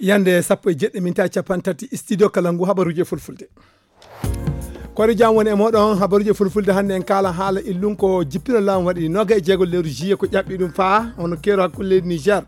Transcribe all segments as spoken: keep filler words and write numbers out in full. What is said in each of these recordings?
Yande sappo e jeɗɗi minta capanɗe tati, studio kala ngu habaruji e fulfulde. Kori jam woni e moɗon habaruji e fulfulde. Hannde en kaala haala illun ko jippino laamu waɗi noga e jeego lewru juillet, ko ƴaɓɓi ɗum faa hono keero hakkunde leydi Niger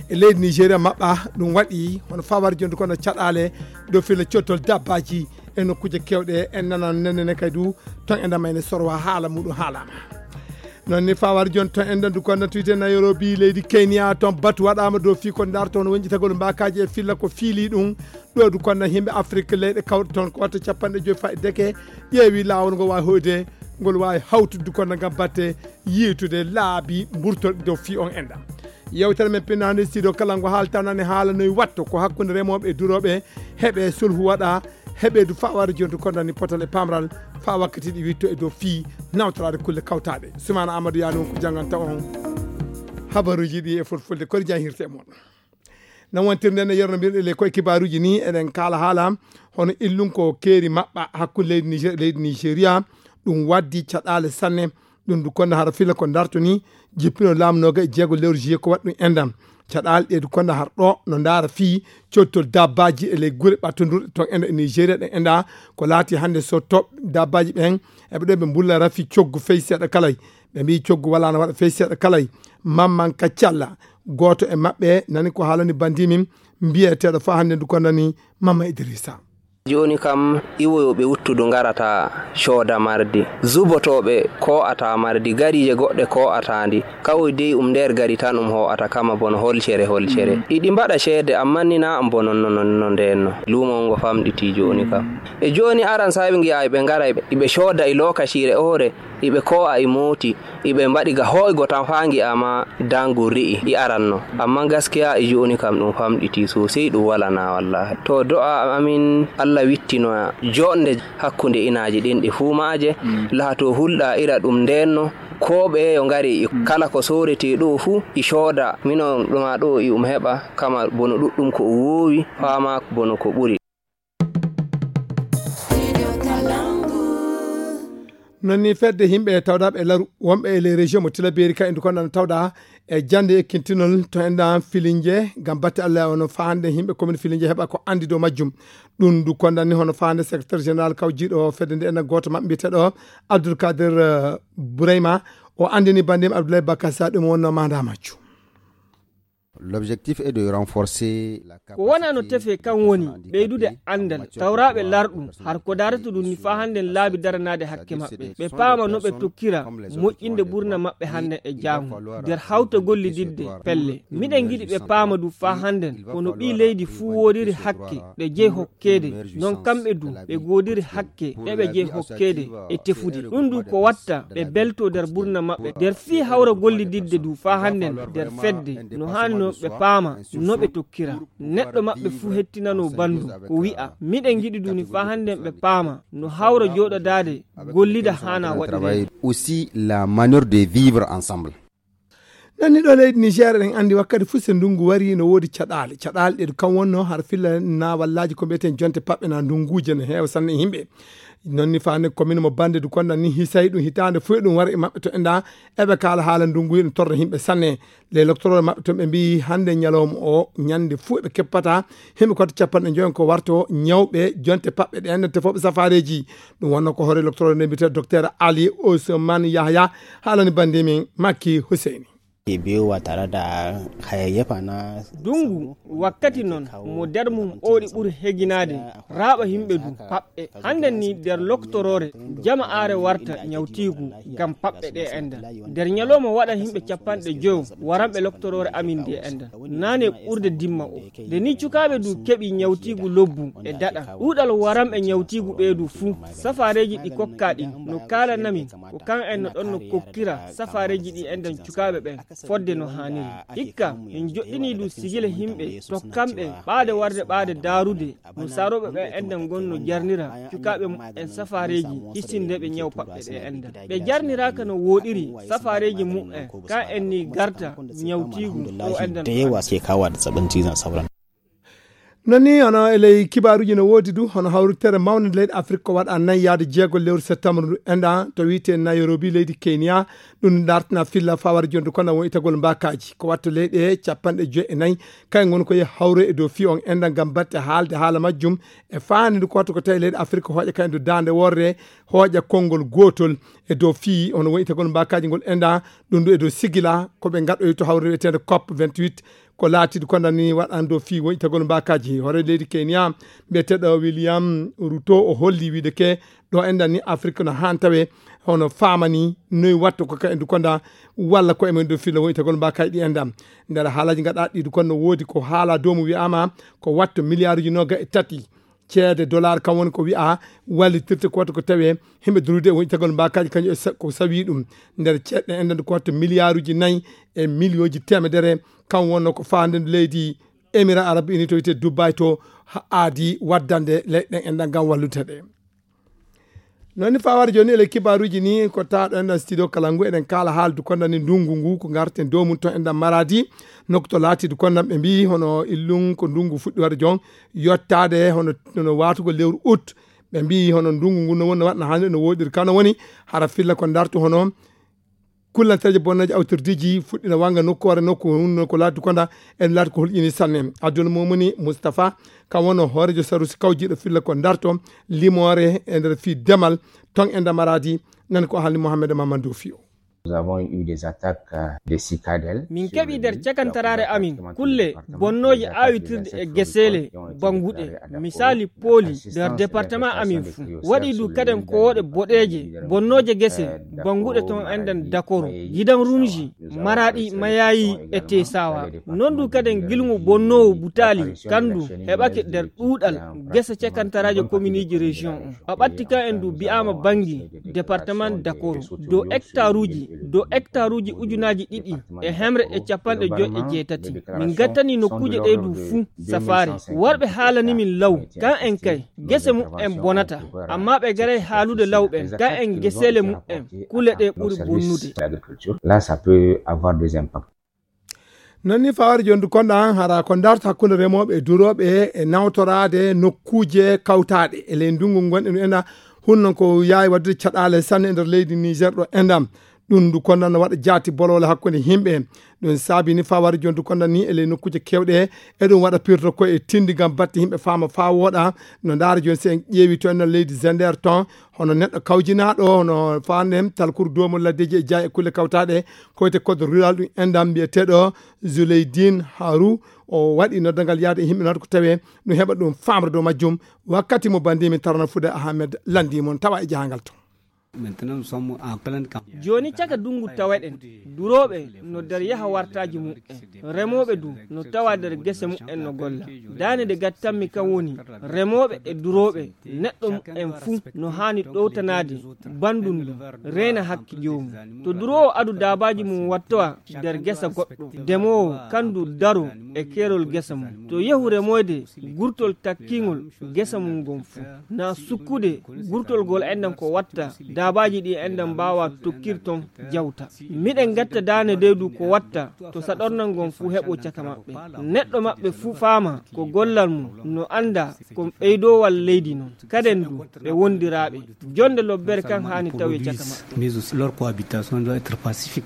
e leydi Nigeria maɓɓa. Ɗum waɗi hono fawar jonde kono caɗaale dow filla cottol dabbaji e nokkuuje kewɗe. En nana nene kadi du ton e ndema ene sorwa haala muɗum haalama. Noon ni fawar jon ton en ndu konda tuyte Nairobi leydi Kenya, ton batu waɗama dow fii ko darto hono wonjitagol mbakaji e filla ko fiili ɗum. Ɗo du konda himɓe Afrique leyɗe kawɗe ton ko watta capanɗe joyi fayi deke ƴeewi laawol ngo wawi hoyde ngol wawi hawtude du konda ngam batte yiitude laabi mburtorɗi dow fii on enda. Yewtere men pinnande studio kala ngo haalta nane haala noy watto ko hakkunde remoɓe e duroɓe, heɓe sulhu waɗa, heɓe du fawar jontu kondani potal e pamral fa wakkati ɗi witto e dow fii nawtorade kulle kawtaɗe. Sumana Amadou Yani on ko janganta on habaruji ɗi e fulfulde kori jan hirte e mon. Nan wontirde nde yernobirɗe le koye kibaruji ni eɗen kaala haala hono illun ko keeri maɓɓa hakkunde leydi Niger e leydi Nigeria. Ɗum waddi caɗaale sanne. Ɗum du konda hara fila ko darto ni jippino laamu noga e jeego lewru juillet ko waɗi ɗum endam. Caɗaale ɗe du konda har ɗo no ndaara fii cottol dabbaji e ley gure ɓattondirɗe ton enda e Nigeria ɗe enda ko laati hannde so toɓ dabbaji ɓen eɓe ɗo ɓe mbulla rafi coggu fey seeɗa kalay. Ɓe mbi coggu wala no waɗa fey seeɗa kalay. Mamman Kaccalla gooto e maɓɓe nani ko haalani bandi min mbiyeteɗo fa hannde du kondani Mamma Idrissa. Jooni kam, iwoyooɓe wuttudu ngarata cooda mardi, zubotooɓe koo'ata mardi, gariije goɗɗe koo'ata ndi. Kawoy dey um nder gari tan um hoo'ata kama bono holcere holcere. Iɗi mbaɗa ceede, ammaa ni naa am bonon no, no, no ndeen no. Luumo ngo famɗitii jooni kam. E jooni aran saa'i ɓe ngi'a ɓe ngara, iɓe cooda e lookaciire oore, iɓe koo'a e mooti, iɓe mbaɗi ga hooygo tan faa ngi'aama daangol ri'i i aranno. Ammaa gaskiya e jooni kam ɗum famɗitii soosey ɗum walanaa wallaahi. To do'a amin Allah wittino joɗnde hakkunde inaaji ɗin ɗi fuu maaje, laatoo hulɗa ira ɗum ndeenno, koo ɓe yo ngari kala ko sooretee ɗoo fuu i cooda, minon ɗuma ɗoo i um heɓa, kama bono ɗuɗɗum ko o woowi, faamaa bono ko ɓuri. Non ni fedde yimɓe tawɗaaɓe e laru wonɓe e les régions mo Tilaberi ka indu kon ɗan tawɗa e jannde ekkintinol to enɗan filinje ngam batte Allah ono fahande yimɓe commune filinje heɓa ko andi dow majjum. Ɗum ndu konɗan ni hono fahande secrétaire général kawjiiɗo fedde nde enɗan gooto maɓɓe mbiyeteeɗo Abdoul Kader, eh, Bourayma. O andini bandim Abdoulaye Bakar Sa ɗum wonno manda majjum. L'objectif est de renforcer la capacité. Ko wonano tefe kan woni ɓeydude andal tawraaɓe larɗum har ko darata ɗum ni faa hannden laabi daranaade hakke maɓɓe, ɓe paama no ɓe tokkira moƴƴinde ɓurna maɓɓe hannden e jaango nder hawta gollididde pelle. Miɗen ngiɗi ɓe paama du faa hannden kono ɓii leydi fuu woodiri hakke ɗe jeyi hokkeede, non kamɓe du ɓe goodiri hakke ɗe ɓe jeyi hokkeede e tefude. Ɗum du ko watta ɓe belto nder ɓurna maɓɓe nder fii hawra gollididde du faa hannden nder fedde no haani no ɓe paama no ɓe tokkira. Neɗɗo maɓɓe fuu hettinano bandu ko wi'a miɗen ngiɗi du ni faa hannden ɓe paama no hawra jooɗodaade gollida haana waɗireede. Aussi la manière de vivre ensemble. Nanni ɗo leydi Niger, eɗen anndi wakkati fof so ndunngu wari no woodi caɗaale. Caɗaale ɗe kam wonno har filla na wallaaji ko mbiyeten jonte paɓɓe na ndunnguuje no heewa sanne e yimɓe. Non ni faande commune mo Bande du konɗan ni hisay ɗum hitaande fof e ɗum wara e maɓɓe to enɗa eɓe kaala haala ndunngu no torra yimɓe sanne. Les docteurs maɓɓe toon ɓe mbiyi hannde ñalawma o ñannde fof ɓe keppata himɓe koto capanɗe joyi ko warto ñawɓe jonte paɓɓe ɗe enɗan tefooɓe safareeji. Ɗum wonno ko hoore docteur nde mbiyetee docteur Ali Ousmane Yahya haalani bannde min Makki Huseyni. Biyu ba tare da hayayyafa na. Dungu wakkati noon mo nder mum ooɗi ɓuri heginaade raaɓa yimɓe du paɓɓe. Hannden ni nder loktoroore jama aare warta ñawtiigu ngam paɓɓe ɗe enda. Nder ñalawma waɗa yimɓe capanɗe joyo waranɓe loktoroore amin nde enda. Naane ɓurde dimma o. Nde ni cukaaɓe du keɓi ñawtiigu lobbu e daɗa. Ɗuuɗal waranɓe ñawtiigu ɓee du fuu. Safaareeji ɗi kokkaa ɗin no kaalanamin ko kan en no ɗon no kokkira safaareeji ɗi enɗan cukaaɓe ɓen fodde no haaniri. Hikka, min joɗɗinii du sigila yimɓe tokkanɓe ɓaade warde ɓaade daarude no saarooɓe ɓen enɗan ngon no jarnira cukaaɓe muɓɓen safaareeji hisinde ɓe ñaw paɓɓe ɗe enɗan. Ɓe jarniraaka no wooɗiri safaareeji muɓɓen kan en ni garta ñawtiigu o enɗan. Da yawa suke kawo da zazzabin cizon sauron. Non ni hono e ley kibaaruuji no woodi du hono hawritere mawnde leyɗe Afrik ko waɗa nayi yaade jeego lewru septembre ndu enɗa to wiyte Nairobi leydi Kenya. Ɗum dartina filla fawar jondu kono won itagol mbakaji ko watto leyɗe capanɗe joyi e nayi. Kay ngon ko ye hawre e dow fi on enɗa ngam batte haalde haala majjum e faani ndu koto ko tawi leyɗe Afrik hooƴa kay ndu daande worre hooƴa konngol gootol e dow fi hono won itagol mbakaji ngol enɗa. Ɗum ndu e dow sigila ko ɓe ngaɗoyi to hawre wiyetende cop vingt-huit. Ko laatiiɗo kondam ni waɗan dow fii woƴitagol mbaakaaji hoore leydi Kenya. Mbiyeteeɗo William Ruto o holli wiide ke ɗo enɗan ni Afrik no haan tawe hono faamani noy watta ko ka endu konda walla ko emen dow fii no woƴitagol mbaakaaji ɗi enɗan. Nder haalaji ngaɗaaɗi ɗiɗo kon no woodi ko haala dow mo wi'aama ko watto miliyaaruji noga e tati ceede dollar kam woni ko wi'a wallitirte ko watta ko tawe himɓe durude e woñitagol mbakaji kañum e sa- ko sawi ɗum nder ceɗɗe enɗan ko watta miliyaaruji nayi e miliyonji temedere. Kam wonno ko faande leydi Émirats Arabes Unis to wiyte Dubai to ha aadi waddande leyɗen enɗan ngam wallude ɗe. Noon ni fawade jooni ele kibaaruji ni ko taaɗo enɗan studio kala ngu eɗen kaala haaldu kondani ndungu ngu ko ngarten dow mum to enɗan maradi nokku to laatiidu kondan ɓe mbi hono illum ko ndungu fuɗɗi waɗa jon yottaade hono hono waatugol lewru août. Ɓe mbi hono ndungu ngu no woni no waɗna hannde no woɗiri kano woni hara filla ko dartu hono kullanteeje bonneeje awtordeeji fuɗɗina wanga nokkuure nokku hunno ko laati konda en laati ko hulƴini sanne. Aduna momuni Moustapha kam wonno hoorejo sarusi kawjiiɗo filla ko darto limoore e nder fii demal ton e ndamaraadi. Nan ko haalni Mohamed Mamadou Fio. Nous avons eu des attaques euh, de cicadelles. Min keɓi nder cakantaraare amin kulle bonnooje aawitirɗe e geseele bannguɗe, misali pooli nder département amin fuu. Waɗi du kaden kowooɗe boɗeeje bonnooje gese bannguɗe ton enɗan dakoro gidan runji maraɗi mayayi e tesawa. Non du kaden gilngu bonnoowo butaali kandu heɓake nder ɗuuɗal gese cakantaraaje kominiji région on. A ɓatti kan en du bi'aama banngi département dakoro dow hectaruuji dow hectaruuji ujunaaji ɗiɗi e hemre e capanɗe joy e jeetati. Min ngattani nokkuuje ɗe du fuu safaare. Warɓe haalani min law kan en kay gese mu'en bonata. Amma ɓe garay haalude law ɓen kan en geseele mu'en kule ɗe ɓuri bonnude. Là ça peut avoir des impacts. Non ni fawari jondu konɗa hara ko darta hakkunde remooɓe e durooɓe e nawtoraade nokkuuje kawtaaɗe e ley ndungu ngonɗen ena hunno ko yaawi waɗude caɗaale sanne e nder leydi Niger ɗo endam. Ɗum ndu konɗan no waɗa jaati bolole hakkunde yimɓe. Ɗum saabi ni fawari jondu konɗan ni e ley nokkuuje kewɗe e ɗum waɗa pirto ko e tindi ngam batte yimɓe faama faa wooɗa. No ndaara joni si en ƴeewi to ena leydi Zender ton hono neɗɗo kawjinaaɗo hono faanden talkuru doomol laddeeji e jaay e kulle kawtaaɗe koyte code rural ɗum endam mbiyeteeɗo Zuleydin Haru. O waɗi noddangal yaade e yimɓe noon ko tawe ɗum heɓa ɗum famre dow majjum. Wakkati mo bandi min tarana fude Ahmed landi mon tawa e jahangal to. Jooni caka dungu tawaɗen durooɓe no nder yaha wartaaji mu'en. Remooɓe du no tawa nder gese mu'en no golla. Daane de gattanmi kan woni remooɓe e durooɓe neɗɗo mu'en fuu no haani ɗowtanaade banndum ndum reena hakke joomum. To duroowo adu daabaaji mum wattowa nder gesa goɗɗo demoowo kandu daro e keerol gesa mum. To yehu remoyde gurtol takkingol gesa mum ngon fuu na sukkude gurtol gol enɗan ko watta daabaaji ɗi enɗan mbaawa tokkir ton jawta. Miɗen ngatta daane dey du ko watta to saɗornal ngon fuu heɓo caka maɓɓe. Neɗɗo maɓɓe fuu faama ko gollal mum no annda ko ɓeydoowal leydi non kaden du ɓe wondiraaɓe. Jonde lobbere kan haani tawe caka maɓɓe. Mais aussi leur cohabitation doit être pacifique.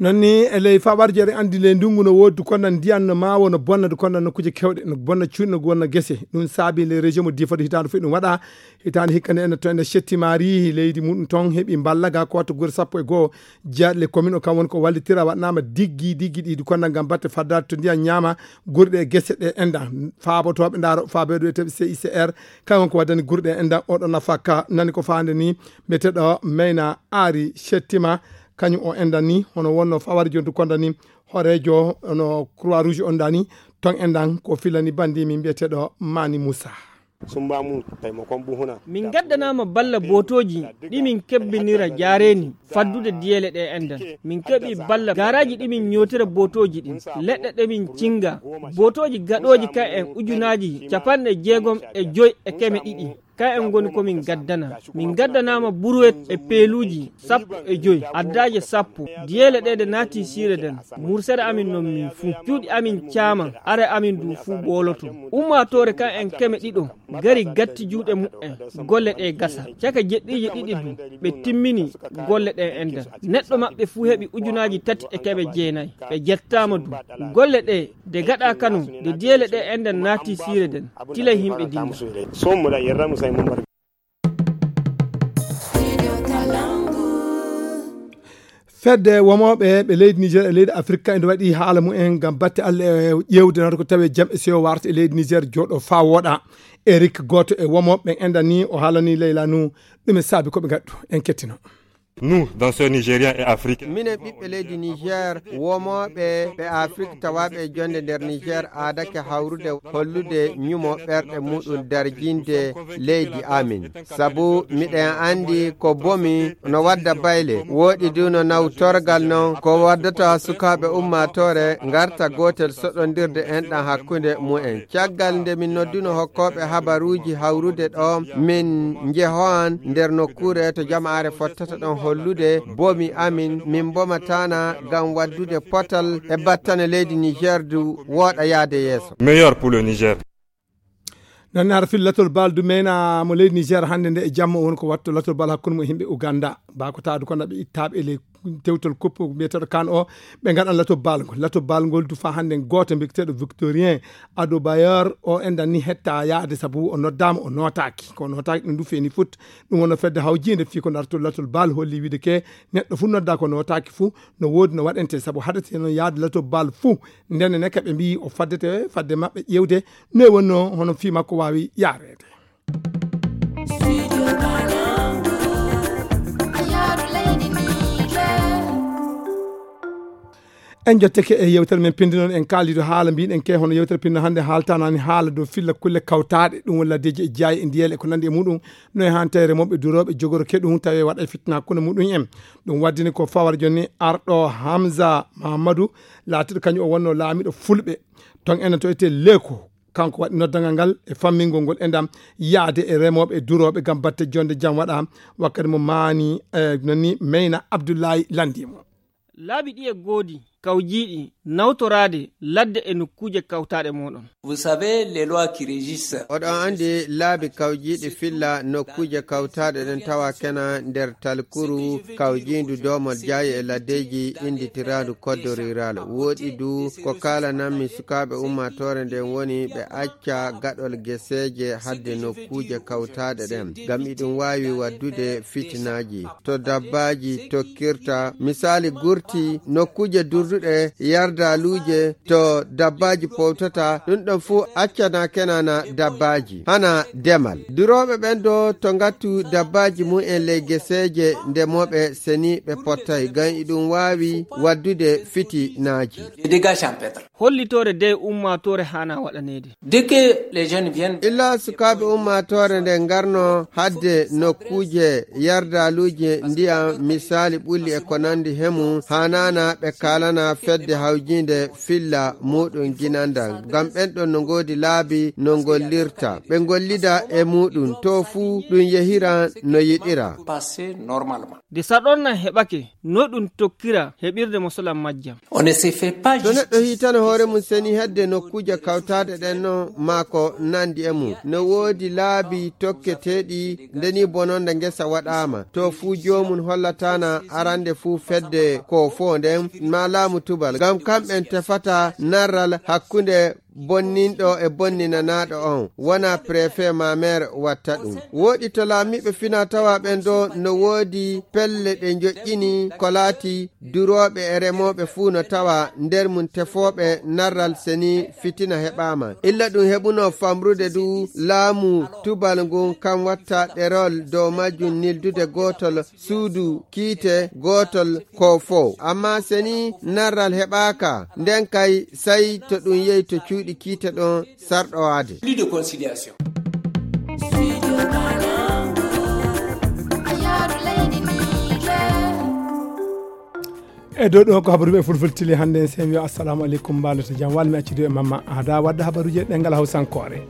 Non ni e ley faɓarjere andi ley ndungu no woodi konɗan ndiyan no maawo no bonna du konɗan nokkuuje kewɗe no bonna cuuɗi no wonna gese. Ɗum saabi ley région mo difode hitaande fof ɗum waɗa hitaande hikka nde ene to ene settimaari leydi muɗum ton heɓi mballa ga ko watto gure sappo e goo jeyaɗe le commune o kam woni ko wallitira waɗnama diggi diggi ɗiɗi konɗan ngam batte faddaade to ndiyan ñaama gure ɗe gese ɗe enɗan faabotooɓe ndaaro faabeeɗo wiyeteeɓe C I C R. Kaŋ won ko waddani gurɗe en enɗan oɗo nafa ka nani ko faande ni mbiyeteeɗo Meyna Aari Settima. Kañum o enɗan ni hono wonno fawari jontu konda ni horeejo no Croix Rouge on dani ton enɗan ko filani bandi min mbiyeteeɗo Mani Moussa. Sumbamu taimakon buhuna. Min gaddanama balla botoji ɗi min kebbinira jareni faddude diyele ɗe enɗan. Min keɓi balla garaji ɗi min ñotira botoji ɗin leɗɗe ɗe min cinga botoji gaɗoji ka en ujunaji capanɗe jeegom e joy e keme ɗiɗi. Ka en ngoni ko min gaddana. Min gaddanaama buruwet e peeluuji sappo e joy, addaaje sappo. Diyeele ɗe ɗe naati siire nden. Mursere amin non min fuu. Cuuɗi amin caama, are amin du fuu ɓooloto. Ummaatoore kan en keme ɗiɗo, gari gatti juuɗe muɓɓen. Golle ɗe gasa. Caka jeɗɗiije ɗiɗi du, ɓe timmini golle ɗen enɗan. Neɗɗo maɓɓe fuu heɓi ujunaaji tati e keme jeenay. Ɓe jettaama du. Golle ɗe, de gaɗa kano, de diyeele ɗe enɗan naati siire nden. Tilay himɓe dinga. Fedde womooɓe ɓe leydi Niger e leydi Afirka ene waɗi haala mumen ngam batte Alla e ƴeewde nata ko tawi jam e sewo warta e leydi Niger jooɗo faa wooɗa. Eric, gooto e womooɓe ɓen, enɗan ni o haalani Leyla Nu ɗum e saabi ko ɓe ngaddu. En kettino. Nous, danseurs nigériens et africains. Minen ɓiɓɓe leydi Niger, womooɓe ɓe Afrik tawaaɓe e jonde nder Niger aadake hawrude hollude ñumo ɓerɗe muɗum darjinde leydi amin. Sabu miɗen anndi ko bomi no wadda bayle, wooɗi du no nawtorgal non ko waddata sukaaɓe ummaatoore ngarta gootel soɗondirde enɗan hakkunde mumen. Caggal nde min nodduno hokkooɓe habaruuji hawrude ɗo, min njehoan nder nokkuure to jamaare fottata ɗon hollude bomi amin, min mbomataana ngam waddude potal e battane leydi Niger du wooɗa yaade yeeso. Meilleur pour le Niger. Nan ara fil latol bal du mena mo leydi Niger hannde nde e jamma won ko watto latol bal hakkunde mo e himɓe Uganda. Ba ko taadu ko naɓe ittaaɓe e ley tewtol koppo mbiyeteeɗo kan o, ɓe ngaɗan latol bal ngol. Latol bal ngol du fa hannde gooto mbiteeɗo Victorien Adobayor o enɗan ni hetta yaade sabu o noddaama o nootaaki. Ko nootaaki ɗum du feeni foot. Ɗum wonno fedde hawjiinde fii ko dartol latol bal holli wiide ke neɗɗo fuu nodda ko nootaaki fuu no woodi no waɗante sabu haɗate noon yaade latol bal fuu. Nden ne kaɓe mbiyi o faddete fadde maɓɓe ƴeewde no e wonno hono fii makko waawi yaareede. En jotteke e yewtere men pindi noon en kaalido haala mbiɗen ke hono yewtere pinno hannde haaltanani haala dow filla kulle kawtaaɗe ɗum woni laddeji e jaayi e ndiyele e ko nandi e muɗum no e hantere mawɓe durooɓe jogoro ke ɗum tawi waɗa e fitna hakkunde muɗum en. Ɗum waddini ko fawar jonni arɗo Hamza Mahamadou laatiɗo kañum o wonno laamiɗo fulɓe ton enen to ete Leko. Kanko waɗi noddangal ngal e fammingol ngol enɗam yaade e remooɓe e durooɓe ngam batte jonde jam waɗa wakkati mo maani e nonni Meyna Abdullahi landimo. Laabi ɗi e goodi kawjiiɗi nawtoraade ladde e nokkuuje kawtaaɗe mooɗon. Vous savez, les lois qui régissent. Oɗon anndi laabi kawjiiɗi filla nokkuuje kawtaaɗe ɗen tawa kena nder talkuru kawjiindu doomol jaayi e laddeeji innditiraandu koddo rural. Wooɗi du ko kaalananmi sukaaɓe ummaatoore nden woni ɓe acca gaɗol geseeje hadde nokkuuje kawtaaɗe ɗen, ngam iɗum waawi waddude fitinaaji. To dabbaaji tokkirta, misaali gurti, nokkuuje durduɗe, yardaaluuje, to dabbaaji powtata, ɗum ɗon fuu accana kenana dabbaaji. Hana demal. Durooɓe ɓen do to ngattu dabbaaji mum en ley geseeje ndemooɓe seni ɓe pottay, ngam iɗum waawi waddude fitinaaji. Des dégâts champêtres. Hollitoore de ummaatoore haana waɗaneede. Dès que les jeunes viennent. Illa sukaaɓe ummaatoore nde ngarno hadde nokkuuje yardaaluuje ndiyam, misaali ɓulli e ko nandi hemu, haanaana ɓe kaalana fedde hawjiinde filla muɗum ginandal. Ngam ɓen ɗon no ngoodi laabi no ngollirta. Ɓe ngollida e muɗum, to fuu ɗum yehira no yiɗira. Passer normalement. Nde saɗorna heɓake, no ɗum tokkira heɓirde mosolan majjam. On ne se fait pas. To neɗɗo hitana hoore mum seni hedde nokkuuje kawtaaɗe ɗen no maa ko nandi e mum. No woodi laabi tokketeeɗi ndeni bononde ngesa waɗaama. To fuu joomum hollatana arande fuu fedde ko fo nden maa laamu tubal. Ngam kamɓen tefata narral hakkunde bonninɗo e bonninanaaɗo on, wona préfet ma maire watta ɗum. Wooɗi to laamiiɓe fina tawa ɓen ɗo no woodi pelle ɗe njoƴƴini ko laati durooɓe e remooɓe fuu no tawa nder mum tefooɓe narral seni fitina heɓaama. Illa ɗum heɓuno famrude du laamu tubal ngun kan watta ɗerol dow majjum nildude gootol suudu kiite gootol ko fow. Amma seni narral heɓaaka, nden kay sai to ɗum yehi to cuuɗi kiite ɗon sarɗowaade. Plus de conciliation. E dow ɗo ko habaruɓe fulfultili hannde en sen wiya assalamu aleykum mbalata jam walmi accidu e mamma ada wadda habaruji e ɗengal hawsankoore.